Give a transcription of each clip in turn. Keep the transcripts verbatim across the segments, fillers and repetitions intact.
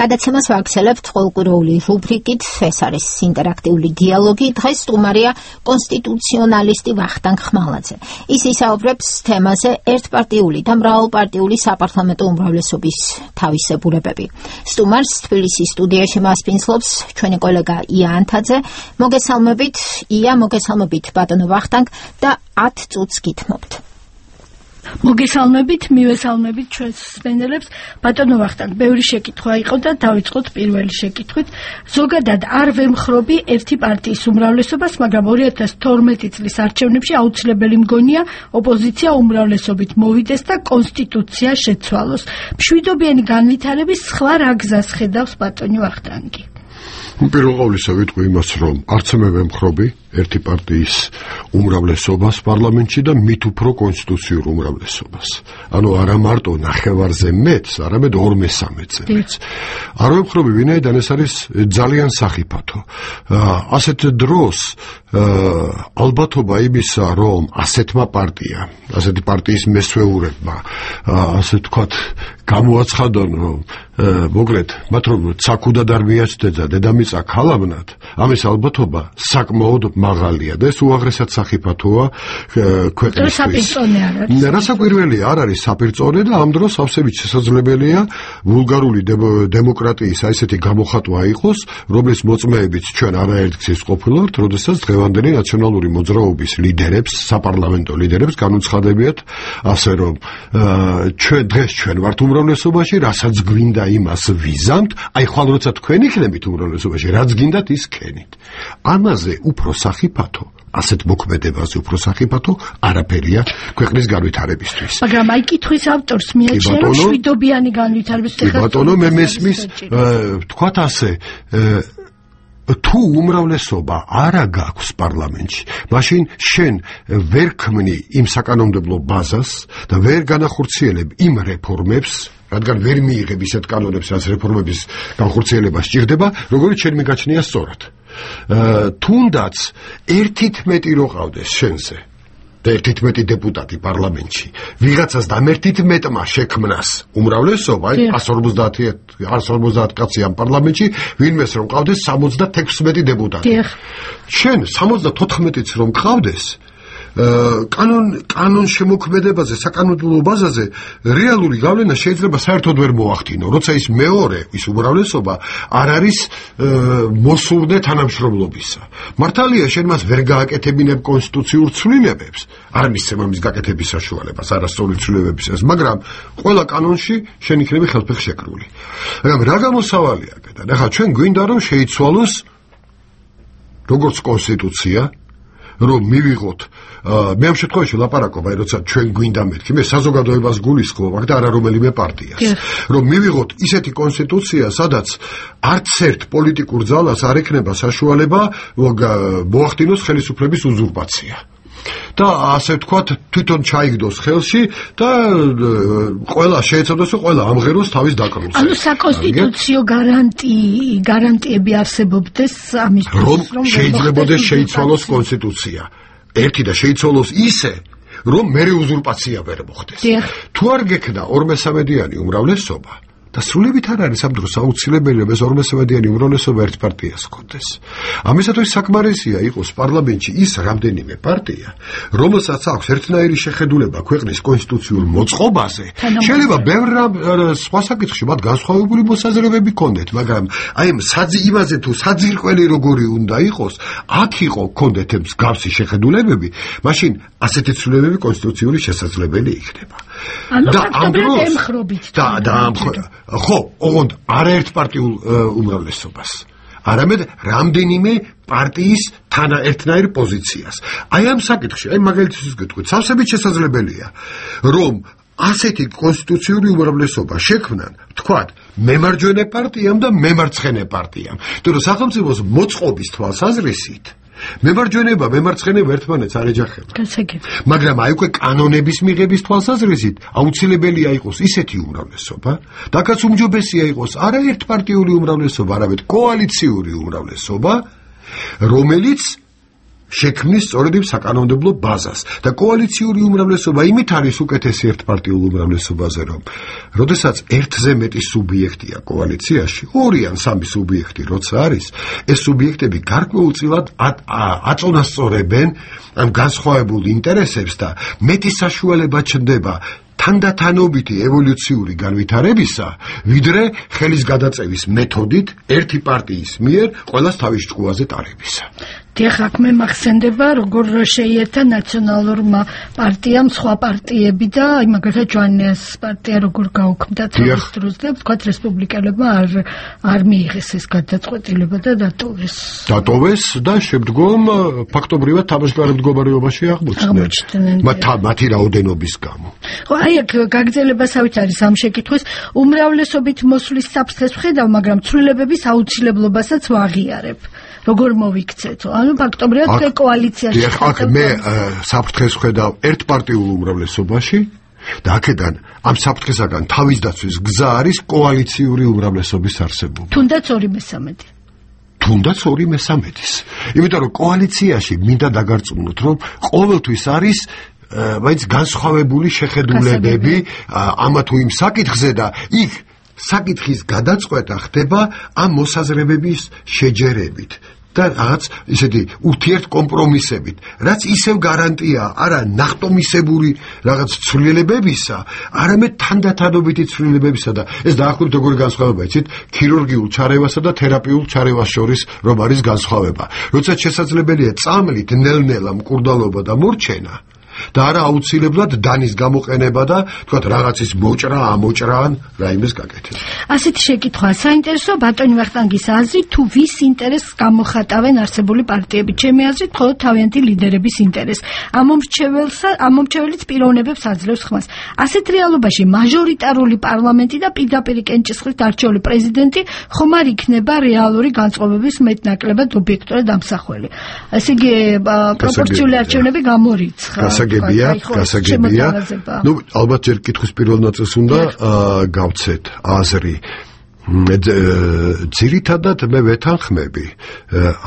გადაცემას ვაგრძელებთ ყოველკვირეული რუბრიკით, ეს არის ინტერაქტიული დიალოგი. დღეს სტუმარია კონსტიტუციონალისტი ვახტანგ ხმალაძე. ის ისაუბრებს თემაზე ერთპარტიული და მრავალპარტიული საპარლამენტო უმრავლესობის თავისებურებები. სტუმარს თბილისის სტუდიაში მასპინძლობს ჩვენი კოლეგა ია ანთაძე. მოგესალმებით, ია, მოგესალმებით ბატონო ვახტანგ და ათ წუთს გითმობთ. მოგესალმებით, მივესალმებით ჩვენს სპენელებს. ბატონო ვახტანგ, ბევრი შეკითხვა იყო და დავიწყოთ პირველი შეკითხვით. ზოგადად არ ვემხრობი ერთი პარტიის უმრავლესობას, მაგრამ ორი ათას თორმეტი წლის არჩევნებში აუცილებელი მგონია ოპოზიცია უმრავლესობით მოვიდეს და კონსტიტუცია შეცვალოს. მშვიდობიანი განვითარების სხვა რა გზას ხედავს ბატონი ვახტანგი? პირველ ყოვლისა ვიტყვი იმას, რომ არც მე ვემხრობი ერთი პარტიის უმრავლესობას პარლამენტში და მით უფრო კონსტიტუციურ უმრავლესობას. ანუ არა მარტო ნახევარზე მეტს, არამედ ორმესამედზე მეტს. არ ვემხრობი, ვინაიდან ეს არის ძალიან სახიფათო. ასეთ დროს ალბათობა იმისა, რომ ასეთმა პარტიამ, ასეთი პარტიის მესვეურებმა, ასე ვთქვათ, გამოაცხადონ, რომ მოკლედ, მათ რომ ცაკუდად არ მიაცდედა დედამიწა ქალავნად, ამის ალბათობა საკმაოდ მაღალია და ეს უაღრესად სახიფათოა ქვეყნისთვის. საპირწონე არ არის. რასაკვირველია, არ არის საპირწონე და ამ დროს ავსებით შესაძლებელია ვულგარული დემოკრატიის აი ესეთი გამოხატვა იყოს, რომლის მოწმეებით ჩვენ არაერთგზის ყოფილვართ, როდესაც დღევანდელი ნაციონალური მოძრაობის ლიდერებს, საპარლამენტო ლიდერებს განუცხადებიათ ასე, რომ ჩვენ დღეს ჩვენ ვართ უმრავლესობაში, რასაც გვინდა იმას ვიზამთ, აი ხვალ როცა თქვენ იქნებით უმრავლესობაში, რაც გინდათ ის ქენით. ამაზე უფრო სახიფათო, ასეთ მოქმედებაზე უფრო სახიფათო არაფერია ქვეყნის განვითარებისთვის. მაგრამ აი კითხვის ავტორს მიაჩნია, რომ მშვიდობიანი განვითარებისთვის ხარ. ბატონო, მე მესმის, ვთქვათ ასე, თუ უმრავლესობა არა გაქვს პარლამენტში, მაშინ შენ ვერ ქმნი იმ საკანონმდებლო ბაზას და ვერ განახორციელებ იმ რეფორმებს, რადგან ვერ მიიღებ ისეთ კანონებს, რაც რეფორმების განხორციელება სჭირდება, როგორც შენ მიგაჩნია სწორად. თუნდაც ერთით მეტი რო ყავდეს შენზე და ერთით მეტი დეპუტატი პარლამენტში, ვიღაცას და ერთით მეტმა შექმნას უმრავლესობა, არც ორმოცდაათი კაცი ამ პარლამენტში, ვინმეს რომ ყავდეს სამოცდათექვსმეტი დეპუტატი. შენ სამოცდათოთხმეტიც რომ ყავდეს, კანონ კანონ შემოქმედებაზე, საკანონმდებლო ბაზაზე რეალური გავლენა შეიძლება საერთოდ ვერ მოახდინო, როცა ის მეორე, ის უმრავლესობა არ არის მოსურნე თანამშრომლობისა. მართალია, შენ მას ვერ გააკეთებინებ კონსტიტუციურ ცვლილებებს, არ მისცემ ამის გაკეთების საშუალებას, არასწორი ცვლილებებისას, მაგრამ ყველა კანონში შენ იქნები ხელფეხ შეკრული. მაგრამ რა გამოსავალია აქედან? ახლა ჩვენ გვინდა რომ შეიცვალოს როგორც კონსტიტუცია, რომ მივიღოთ, მე ამ შემთხვევაში ლაპარაკობ, აი როცა ჩვენ გვინდა მეთქი, მე საზოგადოებას გულისხმობ და არა რომელიმე პარტიას, რომ მივიღოთ ისეთი კონსტიტუცია, სადაც არც ერთ პოლიტიკურ ძალას არ ექნება საშუალება მოახდინოს ხელისუფლების უზურპაცია. და ასე ვთქვათ, თვითონ ჩაიგდოს ხელში და ყველა შეეცადოს, რომ ყველა ამღეროს თავის დაკრუნს. ანუ საკონსტიტუციო გარანტი, გარანტიები არსებობდეს ამისთვის, რომ შეიძლებაოდეს შეიცვალოს კონსტიტუცია. ერთი და შეიცვალოს ისე, რომ მერე უზურპაცია ვერ მოხდეს. თუ არ გექნა ორმესამედიანი უმრავლესობა, და სრულებით არ არის ამ დროს აუცილებელი, რომ ეს ორმესამედიანი უმრავლესობა ერთ პარტიას ჰქონდეს. ამისათვის საკმარისია იყოს პარლამენტში ის რამდენიმე პარტია, რომელსაც აქვს ერთნაირი შეხედულება ქვეყნის კონსტიტუციურ მოწყობაზე. შეიძლება ბევრ სხვა საკითხში მათ განსხვავებული მოსაზრებები ჰქონდეთ, მაგრამ აი იმაზე თუ საძირკველი როგორი უნდა იყოს, აქ იყო ჰქონდეთ მსგავსი შეხედულებები, მაშინ ასეთი ცვლილებები კონსტიტუციური შესაძლებელი იქნება. და ამ დროს ემხრობით და ხო, ოღონდ არაერთპარტიულ უმრავლესობას, არამედ რამდენიმე პარტიის თანაერთნაირ პოზიციას. აი ამ საკითხში, აი მაგალითისთვის გეტყვით, სავსებით შესაძლებელია, რომ ასეთი კონსტიტუციური უმრავლესობა შექმნან, თქვათ, მემარჯვენე პარტიამ და მემარცხენე პარტიამ. იმიტომ რომ სახელმწიფოს მოწყობის თვალსაზრისით მემარჯვენება, მემარცხენეობა ერთმანეთს არ ეჯახება. მაგრამ აი უკვე კანონების მიღების თვალსაზრისით აუცილებელია იყოს ისეთი უმრავლესობა, დაკაც უმჯობესია იყოს არა ერთპარტიული უმრავლესობა, არამედ კოალიციური უმრავლესობა, რომელიც შექმნის სწორედ იმ საკანონმდებლო ბაზას და კოალიციური უმრავლესობა იმით არის უკეთესი ერთპარტიულ უმრავლესობაზე, რომ როდესაც ერთზე მეტი სუბიექტია კოალიციაში, ორი ან სამი სუბიექტი როცა არის, ეს სუბიექტები გარკვეულწილად აწონასწორებენ ამ განსხვავებულ ინტერესებს და მეტი საშუალება ჩნდება თანდათანობითი ევოლუციური განვითარებისა, ვიდრე ხელის გადაწევის მეთოდით ერთი პარტიის მიერ ყველას თავის ჭკუაზე ტარებისა. დიახ, აქ მე მახსენდება, როგორ შეიერთა ნაციონალურმა პარტიამ სხვა პარტიები და მაგალითად ჯვანიას პარტია როგორ გაუქმდა თავის დროს და ვთქვათ რესპუბლიკელებმა არ არ მიიღეს ეს გადაწყვეტილება და დატოვეს. დატოვეს და შემდგომ ფაქტობრივად თამაშგარე მდგომარეობაში აღმოჩნდნენ. მათი რაოდენობის გამო. ხო, აი აქ გაგრძელებასაც არის ამ შეკითხვის უმრავლესობით მოსვლის საფრთხეს ვხედავ, მაგრამ ცვლილებების აუცილებლობასაც ვაღიარებ. როგორ მოვიქცეთო? ანუ ფაქტობრივად თქვენ კოალიციაში ხართ. აქ მე საფრთხეს ვხედავ ერთპარტიულ უმრავლესობაში და აქედან ამ საფრთხესაგან თავის დაცვის გზა არის კოალიციური უმრავლესობის არსებობა. თუნდაც ორი მესამედი. თუნდაც ორი მესამედის. იმიტომ რომ კოალიციაში მინდა დაგარწმუნოთ, რომ ყოველთვის არის მაინც განსხვავებული შეხედულებები ამა თუ იმ საკითხზე და იქ საკითხის გადაწყვეტა ხდება ამ მოსაზრებების შეჯერებით და რაღაც ისეთი ურთიერთ კომპრომისებით, რაც ისევ გარანტია არა ნახტომისებური რაღაც ცვლილებებისა, არამედ თანდათანობითი ცვლილებებისა და ეს დაახლოებით როგორი განსხვავება იცით, ქირურგიულ ჩარევასა და თერაპიულ ჩარევას შორის რომ არის განსხვავება. როცა შესაძლებელია წამლით ნელ-ნელა მკურდალობა და მორჩენა და არა აუცილებლად დანის გამოყენება და თქვათ რაღაცის მოჭრა, ამოჭრა ან რაიმეს გაკეთება. ასეთი შეკითხვაა საინტერესო ბატონი ვახტანგის აზრით, თუ ვის ინტერესს გამოხატავენ არსებული პარტიები? ჩემი აზრით, მხოლოდ თავიანთი ლიდერების ინტერესს. ამომრჩეველსა, ამომრჩეველიც პიროვნებებს აძლევს ხმას. ასეთ რეალობაში მაჟორიტარული პარლამენტი და პირდაპირ კენჭისყრით არჩეული პრეზიდენტი ხომ არ იქნება რეალური განწყობების მეტნაკლებად ობიექტურად ამსახველი. ესე იგი, პროპორციული არჩევნები გამორიცხა. გასაგებია, გასაგებია. ნუ ალბათ ჯერ კითხვის პირველ ნაწილს უნდა გავცეთ აზრი. ძირითადად მე ვეთანხმები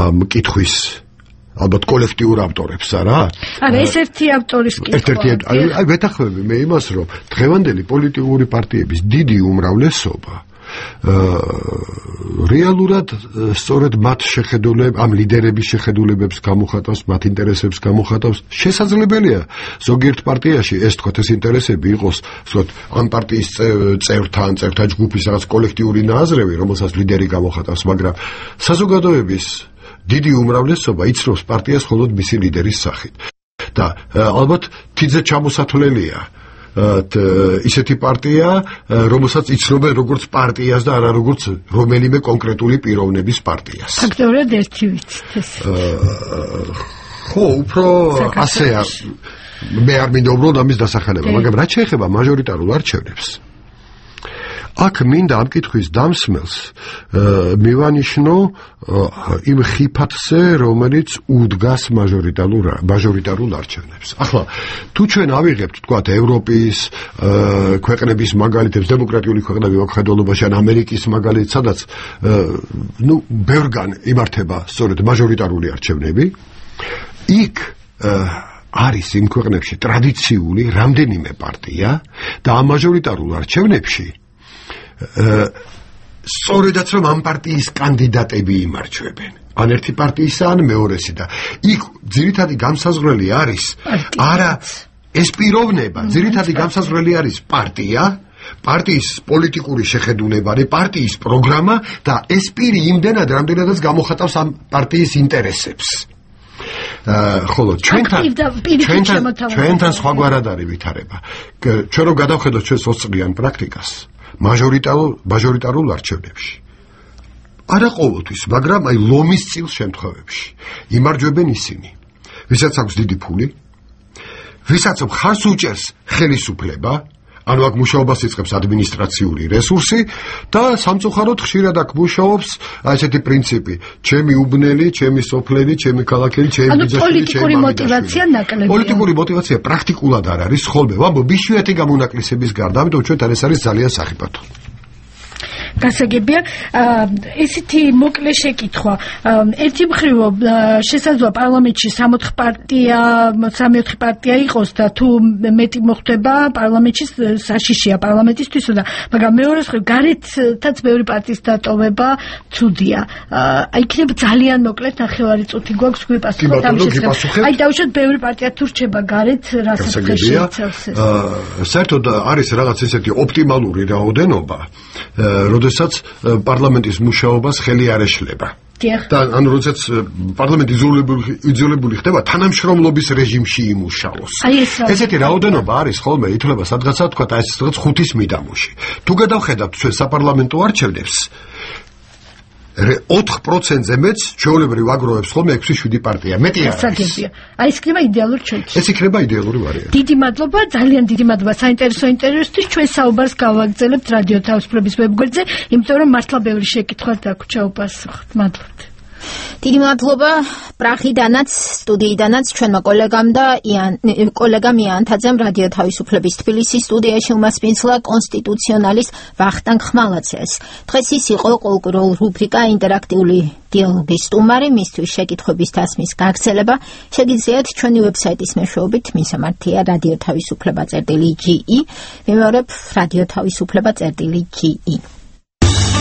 ამ კითხვის ალბათ კოლექტიურ ავტორებს, არა? არა, ეს ერთი ავტორის კითხვა. აი ვეთანხმები მე იმას, რომ დღევანდელი პოლიტიკური პარტიების დიდი უმრავლესობა რეალურად სწორედ მათ შეხედულებ ამ ლიდერების შეხედულებებს გამოხატავს, მათ ინტერესებს გამოხატავს. შესაძლებელია ზოგიერთ პარტიაში ეს თქვათ ეს ინტერესები იყოს, ვთქვათ, ამ პარტიის წევრთა ან წევრთა ჯგუფის რაღაც კოლექტიური ნაზრევი, რომელსაც ლიდერი გამოხატავს, მაგრამ საზოგადოების დიდი უმრავლესობა იცნობს პარტიას მხოლოდ მისი ლიდერის სახით. და ალბათ თითზე ჩამოსათვლელია ისეთი პარტია, რომელსაც იცნობენ როგორც პარტიას და არა როგორც რომელიმე კონკრეტული პიროვნების პარტიას. ფაქტობრივად ერთი ვიცით ეს. ხო, უფრო ასეა. მე არ მინდა უბრალოდ ამის დასახელება, მაგრამ რაც შეეხება მაჟორიტარულ არჩევნებს, აქ მინდა ამ კითხვის დამსმელს მივანიშნო იმ ხიფათზე, რომელიც უდგას მაჟორიტარულ მაჟორიტარულ არჩევნებს. ახლა თუ ჩვენ ავიღებთ თქვათ ევროპის ქვეყნების მაგალითებს, დემოკრატიული ქვეყნები მოხდელობაში ან ამერიკის მაგალითს, სადაც ნუ ბევრგან იმართება სწორედ მაჟორიტარული არჩევნები, იქ არის იმ ქვეყნებში ტრადიციული რამდენიმე პარტია და ამ მაჟორიტარულ არჩევნებში სწორედაც რომ ამ პარტიის კანდიდატები იმარჩვებენ. ან ერთი პარტიისა, ან მეორესი და იქ ძირითადი გამსაზღვრელი არის არა ეს პიროვნება, ძირითადი გამსაზღვრელი არის პარტია, პარტიის პოლიტიკური შეხედულება, პარტიის პროგრამა და ეს პირი იმდენად რამდენადაც გამოხატავს ამ პარტიის ინტერესებს. ხოლო ჩვენთან ჩვენთან სხვაგვარად არის ვითარება. ჩვენ რომ გადავხედოთ ჩვენს ოცი წლიან პრაქტიკას მაჟორიტარულ მაჟორიტარულ არჩევნებში. არა ყოველთვის, მაგრამ აი ლომის წილ შემთხვევებში იმარჯვებენ ისინი, ვისაც აქვს დიდი ფული, ვისაც მხარს უჭერს ხელისუფლება, ანუ აქ მუშაობას იწყებს ადმინისტრაციული რესურსი და სამწუხაროდ ხშირად აქ მუშაობს ესეთი პრინციპი: ჩემი უბნელი, ჩემი სოფლელი, ჩემი ქალაქელი, ჩემი ბიძაშვილი, პოლიტიკური მოტივაცია ნაკლებია. პოლიტიკური მოტივაცია პრაქტიკულად არ არის, ხოლმე ვამბობ, იშვიათი გამონაკლისების გარდა, ამიტომ ჩვენთან ეს არის ძალიან სახიფათო. გასაგებია. ესეთი მოკლე შეკითხვა. ერთი მხრივ შესაძლოა პარლამენტში სამოთხ პარტია, სამი-ოთხი პარტია იყოს და თუ მეტი მოხდება პარლამენტში საშიშია პარლამენტისთვის და მაგრამ მეორე მხრივ გარეთაც ბევრი პარტიის დატოვება ცუდია. აი იქნება ძალიან მოკლედ ნახევარი წუთი გვაქვს გვიპასუხოთ ამ შესახებ. აი დავუშვათ ბევრი პარტია თუ რჩება გარეთ რასაც შეიცავს ეს. საერთოდ არის რაღაც ესეთი ოპტიმალური რაოდენობა, როდესაც პარლამენტის მუშაობას ხელი არ ეშლება. და ანუ როდესაც პარლამენტი იზოლებული ხდება, თანამშრომლობის რეჟიმში იმუშაოს. ესეთი რაოდენობა არის ხოლმე ითვლება სადღაცა თქვა აი ეს რაღაც ხუთის მიდამოში. თუ გადავხედავთ ჩვენ საპარლამენტო არჩევნებს, ოთხ პროცენტზე მეც ჩვეულებრივ აგროვებს ხოლმე ექვსი შვიდი პარტია. მეტი არ არის. აი ეს იქნება იდეალური ჩვენთვის. ეს იქნება იდეალური ვარიანტი. დიდი მადლობა, ძალიან დიდი მადლობა საინტერესო ინტერვიუსთვის. ჩვენ საუბარს გავაგრძელებთ რადიო თავისუფლების ვებგვერდზე, იმიტომ რომ მართლა ბევრი შეკითხვა დაგვრჩა უპასუხოთ. მადლობთ. დიდი მადლობა პრაღიდანაც, სტუდიიდანაც ჩვენმა კოლეგამ და კოლეგამ იანთაძემ რადიო თავისუფლების თბილისის სტუდიაში უმასპინძლა კონსტიტუციონალის ვახტანგ ხმალაცეს. დღეს ის იყო კულტურულ რუბრიკა ინტერაქტიული დიალოგის სტუმარი, მისთვის შეკითხვების დასმის გაგრძელება შეგიძლიათ ჩვენი ვებსაიტის მეშვეობით, მისამართია რადიო თავისუფლება წერტილი ჯი ი, მიმავრებ რადიო თავისუფლება წერტილი ჯი ი.